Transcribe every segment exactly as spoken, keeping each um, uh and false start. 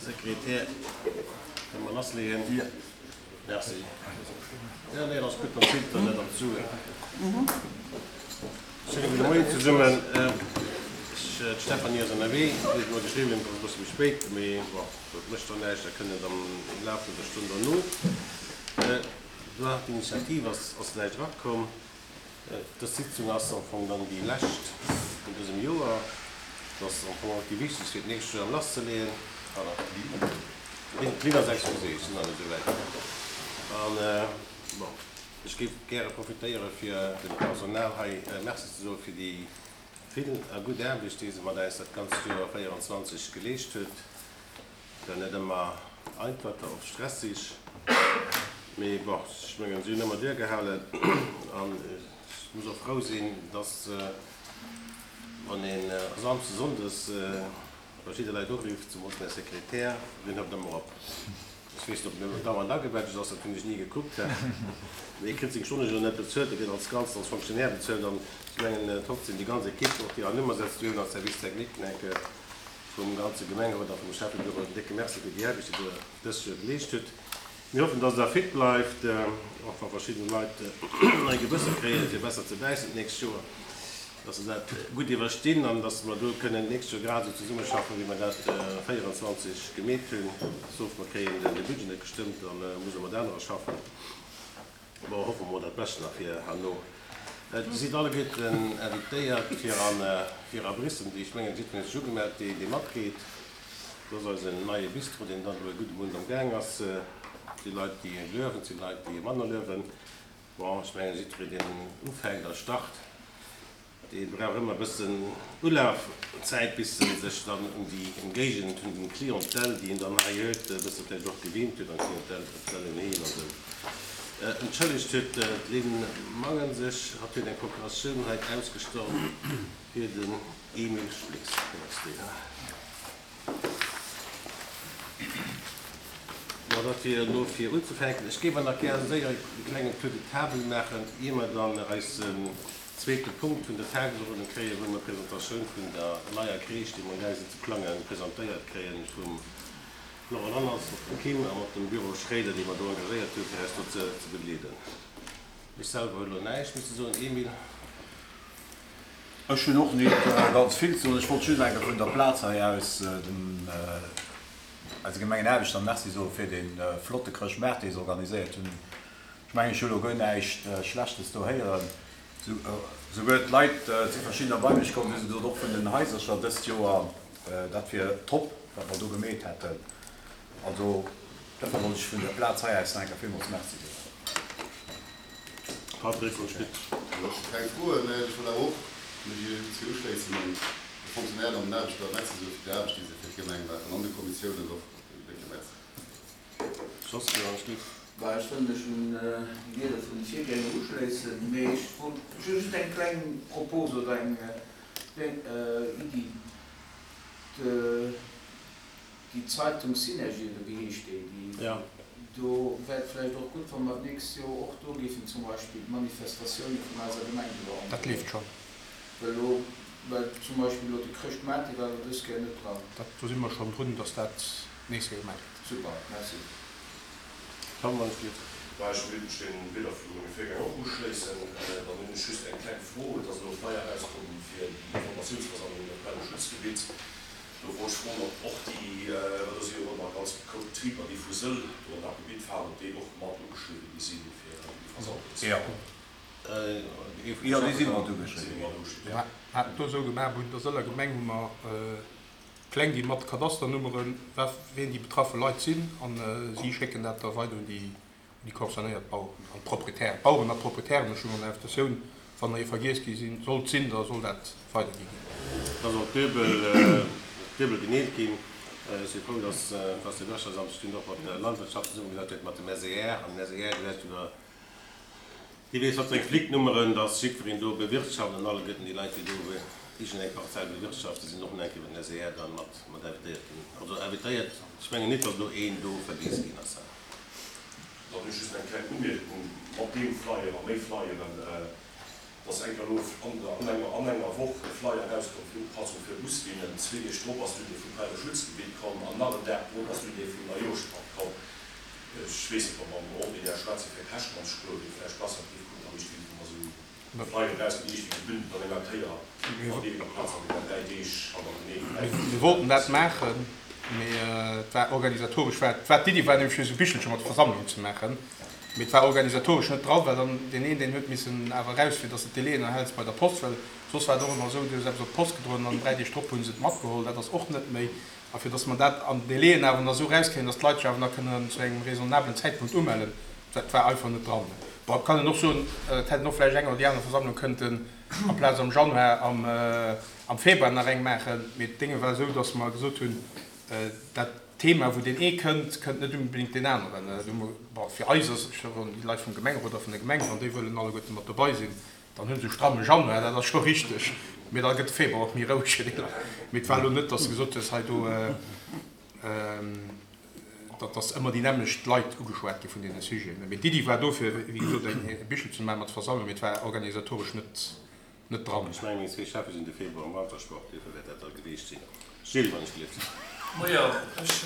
Sekretär, kënne mer lassleeën? Merci. Ja, nee, dat ass gutt, dann zielt Der net an d'Suen. Schéine gudde Moien zesummen. Ech, d'Stéphanie ass ënnerwee, si huet mer geschriwwen, et ass e bësse méi spéit, mee bon, dat mécht dann näischt, da kënnt et am Laf vun der Stonn derno. Droit d'initiative ass, ass näischt erakomm. Dës Sitzung ass am Fong dann déi lescht vun dësem Joer. Et ass am Fong och déi wichtegst fir d'nächst Joer lasszeleeën. Pardon, d'Linn ass, excusez, ech sinn nach net esou wäit. An, bon, ech géif gäre profitéiere fir dem Personal hei Merci ze soe fir déi vill a gutt Aarbecht, déi se mat äis dat ganzt Joer véierundzwanzeg geleescht huet. War net ëmmer einfach, war oft stressig, mee bon, ech mengen, si hunn ëmmer duergehalen an ech muss och frou sinn, dass, wann een Samsdes, Sonndes verschidde Leit urifft, zemools mäi Sekretär, deen hëlt ëmmer op. Ech weess net, ob en dauernd agebadged ass, dat hunn ech ni gekuckt, mee e kritt seng Stonne jo net bezuelt, e gëtt als Ganzt als Fonctionnaire bezuelt an ech mengen trotzdem déi ganz Equipe, och déi hannummer setzt, déi hunn als Service technique enke vum ganze Gemengerot a vum Schäffebüro en décke Merci fir déi Aarbecht, déi Der dëst Joer geleescht hutt. Mir hoffen, dass Der fit bleift, och wa verschidde Leit nei Gebësser kréien, fir besser ze bäissen d'nächst Joer, dass se dat gutt iwwerstinn an dass mer do kënnen d'nächst Joer grad esou zesummeschaffen, wéi mer dat véierundzwanzeg gemeet hunn. Sauf mer kréien de Budget net gestëmmt, da musse mer mat anerer schaffen. Bon, hoffe mer dat Bescht nach fir herno. Dir sidd alleguerten invitéiert fir an fir a Biissen, déi, ech mengen, jiddwereen huet sech ugemellt, dee dee matgeet. Dat ass eisen neie Bistro, deen dann elo e gudde Mount am Gaang ass. Et si Leit, déi luewen, et si Leit, déi manner luewen. Bon, ech mengen, jiddwereen, deen ufänkt a start, dee brauch ëmmer e bëssen Ulafzäit, bis en sech dann un déi Ëmgéigend, un déi Clientèle, déi en dann hei huet, e bësse vläicht och gewinnt huet, an d'Clientèle d'Clientèle un hien an esou. Entschëllegt huet d'Lynn Mangen sech, hatt huet eng Procuratioun hei ausgestallt fir den Emile Schlies. Hien ass deen. Bon, dat wier elo fir unzefänken. Ech géif awer nach gär séier e klengen Tour de table maachen, ier mer dann eisen zweete Punkt vun der Tagesordnung kréien, wou mer d'Presentatioun vun der neier Crèche, déi mer amgaang sinn ze plangen, presentéiert kréien vum Laurent Lanners, mat dem Kim a mat dem Büro Schréider, déi mer do engagéiert hunn, fir eis do ze begleeden. Ech selwer hunn elo näischt méi ze soen. Emile? Ech hunn och nit ganz vill ze soen. Ech wollt just eng Kéier vun der Plaz hei aus dem eise Gemengenaarbechter Merci soe fir dee flotte Chrëschtmaart, dee se organiséiert hunn. Ech mengen, ech hu lo guer näischt Schlechtes do héieren. Souguer d'Leit si verschiddener bei mech komm, hu se gesot, och vun den Haisercher dëst Joer, dat wier top, wat mer do gemeet hätten. Also dofir wollt ech vun der Plaz hei aus nach eng Kéier villmools Merci soen. Patrick von Schmitt. Ech hu keng Froen, mä ech wollt awer och mech hir uschléissen an de Fonctionnairen an den Aarbechter Merci soe fir déi Aarbecht, déi se fir d'Gemeng maachen, an de Kommissiounen och en décke Merci. Jos, jo, Schlitt. Bah, ech wëll mech un déi Wierder vun de Virgänger uschléissen, mee ech wollt, ech hu just eng kleng Propos oder eng kleng Iddi. Déi Zeitung Synergie, oder wéi heescht déi, déi do wär et vläicht och gutt, wa mer d'nächst Joer och do géifen zum Beispill d'Manifestatioune vun eiser Gemeng do Dat androen. leeft schonn. Well elo, well zum Beispill elo de Chrëschtmaart, dee war elo dës Kéier net dran. Dat, do si mer schonn drun, datt dat d'nächst Kéier gemaach gëtt. Super, merci. Tom, wann et geet. Bah, ech wéilt mech deene Wierder vu menge Virgänger och uschléissen. Dann hunn ech just eng kleng Fro. Et ass elo e Flyer erauskomm fir déi Informatiounsversammlung iwwer d'Quelleschutzgebitt. Do wollt ech froen, ob och déi, well do si jo och ëmmer ganz grouss Betriber, déi vu Sëll do an dat Gebitt fahren, ob déi och mat ugeschriwwen gi sinn fir déi Versammlung ze Jo. Jo, déi si mat Si ugeschriwwen mat ginn. ugeschriwwen. Mir haten do esou gemaach, bei der Sëller Gemeng hu mer Pläng gi mat Kadasternummeren, wien déi betraffe Leit sinn, a si schécken dat da weider un déi déi concernéiert Baueren an d'Proprietären. D'Baueren a d'Proprietären, ech hunn an der Invitatioun, wann der ee vergiess gi sinn, sollt sinn, da soll dat weidergi ginn. Da soll d'Duebel, duebel geneelt ginn. Ech si frou, dass dass de Wirtschaftsamt sech dunn och mat der Landwirtschaft zesummegesat huet, mat dem S E R an den S E R gesäit jo da, dee weess wat fir eng Flicknummeren, dass jiddwereen do bewirtschaft an alleguerten déi Leit, déi do iergendeng Parzell bewirtschaften, sinn och nach eng Kéier iwwer den S E R dann mat mat invitéiert ginn. Also invitéiert, ech mengen net, dass do een do vergiess ginn ass. Dann hunn ech just eng kleng Umierkung, Mat deem Flyer a méi Flyeren, dass eng Kéier elo an enger an enger Woch e Flyer erauskomm fir Upassung fir Buslinnen, zwee Deeg drop ass dunn dee vum Quelleschutzgebitt komm an nach en Dag Grond ass d'Idee vum Neijooschpatt komm. Ech weess net, ob mer am Ordinär schwätze fir Käschten anzespueren, déi vläicht besser géif kucken, an ech géif mer esou Flyer erausginn, déi iergendwéi gebündelt an enger Kéier an deene Plaz an deenen dräi Deeg hannerteneen vläicht. Mir wollten dat maachen, mee et war organisatoresch, war, war d'Iddi war nämlech fir esou Bichelche mat Versammlung ze maachen, mee et war organisatoresch net dran, well dann deen een, deen huet missen awer eraus, fir dass de d'Délaiën erhäls bei der Post, well soss war et och ëmmer esou, du hues eppes op d'Post gedroen an dräi Deeg drop hu se et matgeholl, dat ass och net méi. A fir dass mer dat an Délaien awer nach esou erauskréien, dass d'Leit sech awer nach kënnen zu engem raisonnablen Zäitpunkt umellen, dat war einfach net dran. Bon, et kann een och soen, et hätt een och vläicht eng oder déi aner Versammlung kënnten amplaz am Januar am Februar nach eng maachen. Mee d'Dénge war esou, dass mer gesot hunn, dat Thema, wou deen ee kënnt, kënnt net unbedéngt deen aneren. Bon, fir eis ass, ech soen, déi Leit vum Gemengerot a vun der Gemeng, wann déi wëllen alleguerte mat dobei sinn, dann hu se e stramme Januar, dat ass scho richteg, mee da gëtt de Februar och méi roueg fir déi Leit. Mee et war elo net, dass de gesot hues, hei do, datt dass ëmmer déi nämmlecht Leit ugeschwat gi vun deene Sujeten. Mee d'Iddi war do, fir, wéi gesot, eng e Bichel ze maachen mat Versammlung, mee et war organisatoresch net, net dran. Ech mengen, meng zwee Cheffe sinn de Februar am Wantersport, duerfir wäert dat da geweecht sinn. Gilles, wann ech gelift. Majo, ech,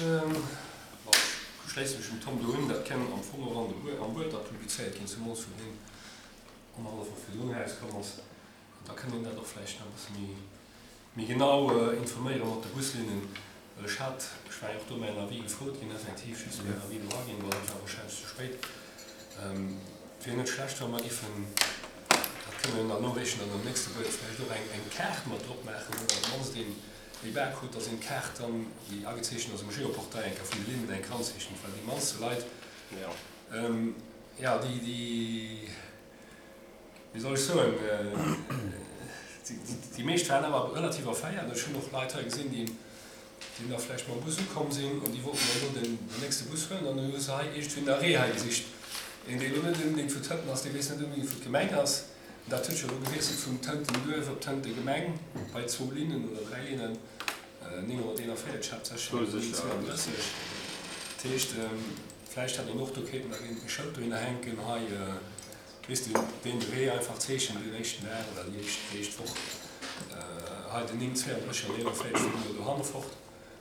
bon, ech schléisse mech dem Tom do un. Dat kënn am Fong och an de Buer, am Buedler publizéiert ginn, zemools vun deem annerhallef Woch virdrun erauskomm ass. An da kënn een dat och vläicht nach e bësse méi, méi genau informéiere mat de Buslinnen. Well ech hat, ech war jo och do mäin Avis gefrot ginn, effektiv just mäin Avis do aginn, bon, dat war warscheinlech ze spéit. Et wier net schlecht, wa mer giffen, dat kënne mer dann noreechen an am nächste Buet vläicht och eng, eng Kaart mat drop maachen, oder op d'mannst een déi Barcode, dass een d'Kaart dann, déi agezeechent ass um Geoportail, eng Kéier vun de Linnen eng Kéier anzeechent, well déi mannste Leit, jo, déi, déi, wéi soll ech soen, déi meescht waren awer relativ erféiert. Ech hunn och Leit hei gesinn, déi, déi da vläicht mam Bus ukomm sinn an déi wollten dann elo den nächste Bus huelen an dann hu se hei iergendwéi en Arrêt hei gesicht. Een, dee elo net onbedéngt vu Tënten ass, dee weess net onbedéngt, wou d'Gemeng ass. An dat huet scho elo gewiesselt vun Tënten Duerf op Tënte Gemeng bei zwou Linnen oder dräi Linnen, nénghonnerteenanvéierzeg haaptsächlech an Linn zwouandrësseg. Dat heescht, vläicht hätt een och do kéinten nach een e Schëld dohinner hänken, hei, weess de, deen de Wee einfach zeechent deen éischten Dag oder déi éischt, déi éischt Woch, hei den néng zweiunddrësseg an eenanvéierzeg vun do dohanne fort,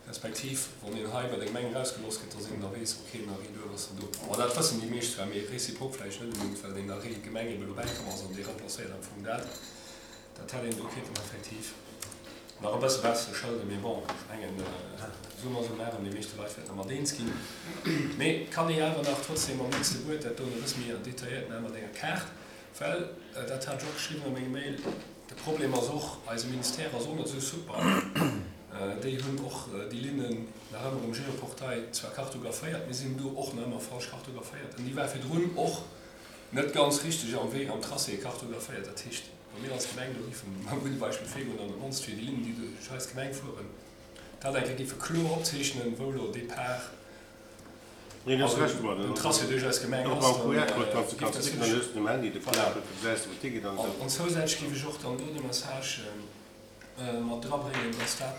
respektiv wann een hei bei der Gemeng erausgelooss gëtt, dass een da weess, ok, den Arrêt Duerf ass dann do. Bon, dat wëssen déi meescht zwar, mee réciproque vläicht net unbedéngt, well deen Arrêt Gemeng ebe lo bäikomm ass an dee remplacéiert am Fong dat. Dat hätt een do kéinten effektiv nach e bësse besser schëlden, mee bon, ech mengen, summa summarum, déi meeschte Leit wäerten dermat eens ginn. Mee et kann ee awer nach trotzdem am nächste Buet dat do nach e bësse méi detailléiert maachen mat enger Kaart, well, dat hat ech och geschriwwen a mengem Mail, de Problem ass och, eise Ministère ass och net esou super. Déi hunn och déi Linnen nach ëmmer um Geoportail zwar kartographéiert, mee si hunn do och nach ëmmer falsch kartographéiert. An déi war virdrun och net ganz richteg am Wee, am Tracé kartographéiert. Dat heescht, wa mir als Gemeng do géifen mam gudde Beispill virgoen an op d'mannst fir déi Linnen, déi duerch eis Gemeng fueren, dat eng Kéier géife kloer opzeechnen, wou elo Départ, also den Tracé duerch eis Gemeng ass, dann géif dat sécherlech. Voilà. An zousätzlech géif ech och dann do de Message mat drabréngen, dass dat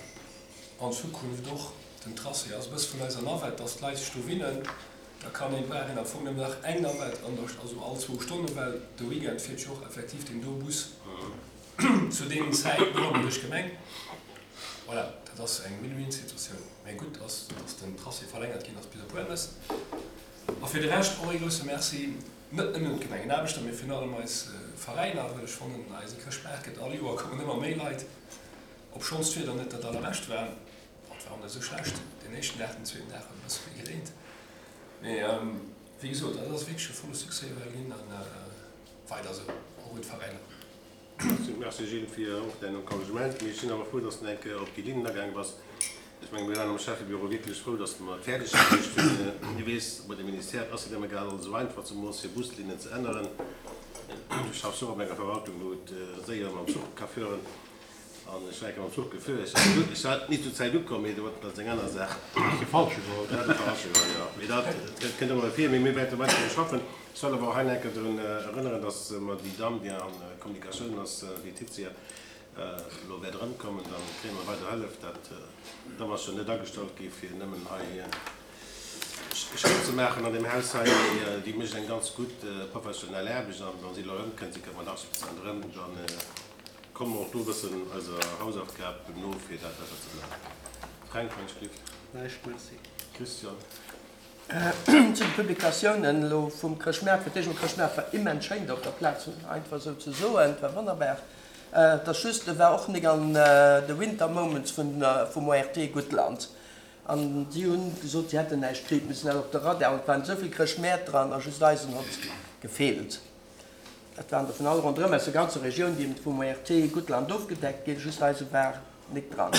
an Zukunft och den Tracé ass, e bësse vun eiser Navette, dass d'Leit sech do winnen. Da kann een, brauch een am Fong nëmmen nach eng Navette an der, also all zwou Stonnen, well de Weekend fiert jo och effektiv deen do Bus zu deenen Zäiten och ëmmer duerch d'Gemeng. Voilà, dat ass eng Win-win-Situatioun. Mä gutt ass, dass den Tracé verlängert ginn ass bis op Huelmes. A fir de Rescht och ee grousse Merci, net nëmmen un d'Gemengenaarbechter, mee virun allem eis Veräiner, well ech fannen, eise Chrëschtmaart gëtt all Joer, kommen ëmmer méi Leit, obschonns d'Wieder net dat allerbescht war. Et war och net esou schlecht deen éischten Dag, den zweeten Dag huet e bësse méi gereent. Mee wéi gesot, dat ass wierklech e volle Succès ewell ginn a weider esou, och un d'Veräiner. Merci Gilles fir och däin Encouragement. Mee ech sinn awer frou, dass de eng Kéier op déi Linnen agaange bass. Ech menge mir waren am Schäffebüro wierklech frou, dass mer et fäerdeg bruecht hunn. Du weess, bei de Ministère ass et ëmmer grad alles esou einfach, zemools fir Buslinnen ze änneren. Du schaffs och op enger Verwaltung, wou et séier mam Zuch ka fueren. An ech war eng Kéier mam Zuch gefuer. Ech war ech war ni zur Zäit ukomm, mee dat ass eng aner Saach. Hues de falsche geholl? Dat ass de falsche geholl, jo. Mee dat kënnt ëmmer vir. Mee mir wäerte weider dru schaffen. Ech wëll awer och hei nach eng Kéier drun erënneren, dass mer déi Damm, déi an Kommunikatioun ass, déi Titia, elo wäert erëmkommen. Da kréie mer weider Hëllef. Dat Damm ass jo net agestallt gi fir nëmmen hei Schéin ze maachen an deem Haus hei. Mee déi mécht eng ganz gutt professionell Aarbecht. An wa si elo erëmkënnt, si kënnt mat achtzeg Prozent erëm, dann Komme mer och do e bëssen eiser Hausaufgab no, fir dat besser ze maachen. Fränk, wann ech gelift. Näischt, merci. Christian. Zu de Publikatiounen elo vum Chrëschtmaart, fir d'éischt emol, Chrëschtmaart war immens schéin do op der Plaz, einfach esou ze soen, et war wonnerbar. Et ass just, e war och nik an de Winter Moments vun vum ORT Guttland an si hunn gesot, si hätten näischt kritt, mir sinn awer op de Radar an et waren esou vill Chrëschtmäert dran a just eisen hott gefeelt. Et waren der vun all ronderëm aus der ganzer Regioun, déi eben vum ORT Guttland ofgedeckt ginn, just eise war nik dran.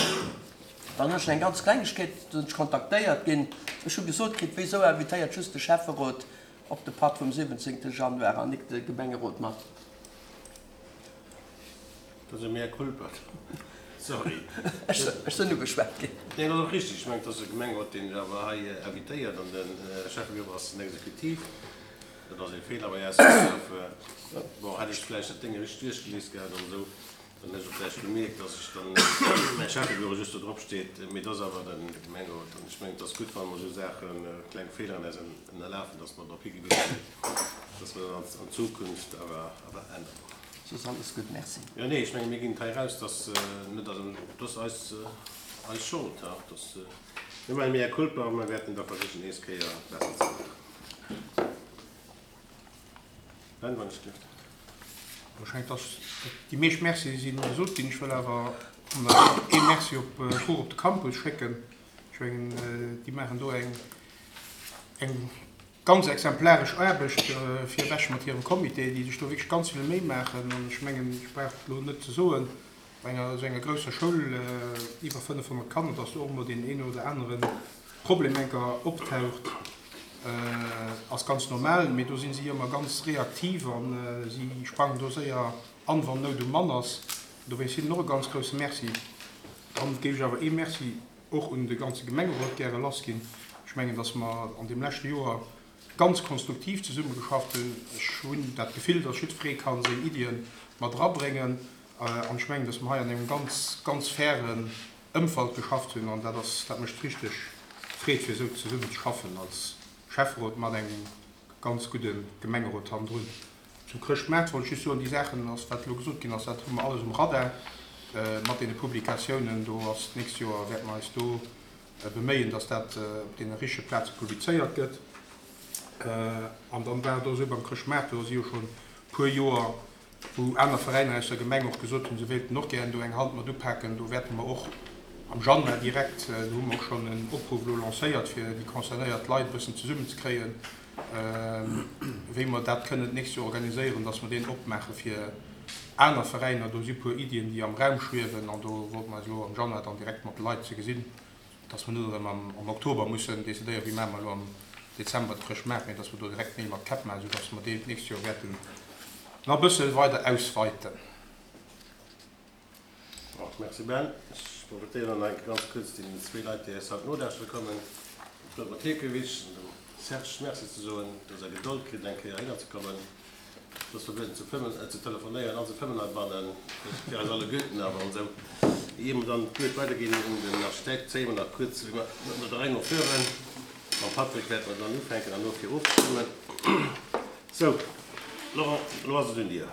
Dann hunn ech nach eng ganz Klengegkeet, do sinn ech kontaktéiert ginn, ech hu gesot kritt, wéisou invitéiert just de Schäfferot op de Patt vum siwwenzéngte Januar an nik de Gemengerot mat. Dat ass e mea culpa. Sorry. Ech sinn ugeschwat ginn. Nee, dat ass och richtig. Ech mengen, et ass de Gemengerot, deen awer hei invitéiert an de Schäffebureau ass den Exekutiv. Dat ass e Feeler bei eis gelaf. Bon, hätt ech vläicht dat Déng richteg duerchgelies gehat an esou, dann hätt ech och vläicht gemierkt, dass ech dann mäi Schäffebureau just do drop steet. Mee et ass awer de Gemengerot. An ech mengen, et ass gutt, wa mer esou Saachen, kleng Feeler an eis ënnerlafen, dass mer drop higewisen ginn, dass mer dat an Zukunft awer änneren. Soss alles gutt, merci. Jo, nee, ech menge mir ginn et hei eraus, dass net, also et ass eis, eis Schold, ha, dass mir maachen mea culpa a mir wäerten da versichen nees Kéier besser ze maachen. Ben, wann ech dierft. Ech mengen, dass déi meescht Mercie si gesot ginn. Ech wëll awer nach ee Merci op d'Fro op de Campus schécken. Ech mengen, déi maachen do eng, eng ganz exemplaresch Aarbecht virewech mat hirem Comité, déi sech do wierklech ganz vill Méi maachen. An ech mengen, ech brauch et elo net ze soen, bei enger esou enger grousser Schoul, iwwer fënnefhonnert Kanner, dass do och emol deen een oder anere Problem enker optaucht, ass ganz normal. Mee do si si ëmmer ganz reaktiv a si sprangen do séier an, wann Nout um Mann ass. Dowéinst hinnen och e ganz grousse Merci. Dann géif ech awer ee Merci och un de ganze Gemengerot gäre lassginn. Ech mengen, dass mer an deem leschte Joer ganz konstruktiv zesummegeschafft hunn. Ech hunn dat Gefill, dass jiddweree ka seng Iddie mat erabréngen. An ech mengen, dass mer hei an engem ganz, ganz fairen Ëmfeld geschafft hunn. An dat ass, dat mécht richteg Freed, fir esou zesummen ze schaffen als Schäfferot mat engem ganz gudde Gemengerot hannendrun. Zum Chrëschtmaart wollt ech just soen, déi Saachen, ass wat elo gesot ginn ass, dat hu mer alles um Radar mat deene Publikatiounen. Do ass d'nächst Joer, wäerte mer eis do beméien, dass dat op deene richtege Plaze publizéiert gëtt. An dann war et och esou beim Chrëschtmaart, do si jo schonn e puer Joer, wou aner Veräiner aus der Gemeng och gesot hunn, se wéilten och gären do eng Hand mat upaken. Do wäerte mer och am Januar direkt, do hu mer och schonn en Opruff elo lancéiert, fir déi concernéiert Leit e bëssen zesummenzekréien, wéi mer dat kënnen d'nächst Joer organiséieren, dass mer deen opmaache fir aner Veräiner. Do si e puer Iddien, déi am Raum schwiewen, an do wollte mer eis elo am Januar dann direkt mat de Leit ze gesinn, dass mer net erëm am Oktober mussen decidéieren, wéi maache mer elo am Dezember de Chrëschtmaart, mee dass mer do direkt Neel mat Käpp maachen, soudass mer deen d'nächst Joer wäerten nach e bësse weider ausweiten. Merci Ben. Ech profitéieren nach eng Kéier ganz kuerz deenen zwee Leit, déi eis haut nolauschtere kommen, dem Claude Mathekewitsch an dem Serge, Merci ze soen, dass Der Gedold kritt, eng Kéier heihinner ze kommen. Et ass verbueden ze fëmmen, ze telefonéieren an ze fëmmen heibannen. Dat ass fir eis alleguerten awer esou. Ier mer dann d'Wuert weiderginn un den Architekt, zéie mer nach kuerz no der Rei no fueren. Mam Patrick wäerte mer dann ufänken an no fir ofzestëmmen. Sou, Laurent, elo ass et un dir.